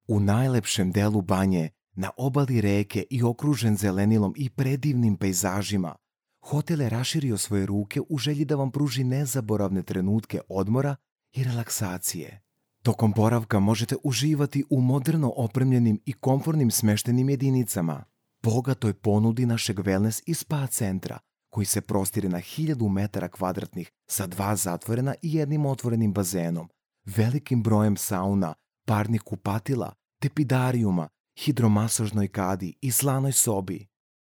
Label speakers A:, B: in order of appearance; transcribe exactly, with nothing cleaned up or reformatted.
A: U najlepšem delu Banje, na obali reke i okružen zelenilom i predivnim pejzažima, hotel je raširio svoje ruke u želji da vam pruži nezaboravne trenutke odmora i relaksacije. Tokom boravka možete uživati u moderno opremljenim i komfornim smeštenim jedinicama, bogatoj ponudi našeg wellness i spa centra, koji se prostire na hiljadu metara kvadratnih sa dva zatvorena i jednim otvorenim bazenom, velikim brojem sauna, parnih kupatila, tepidarijuma, hidromasažnoj kadi i slanoj sobi.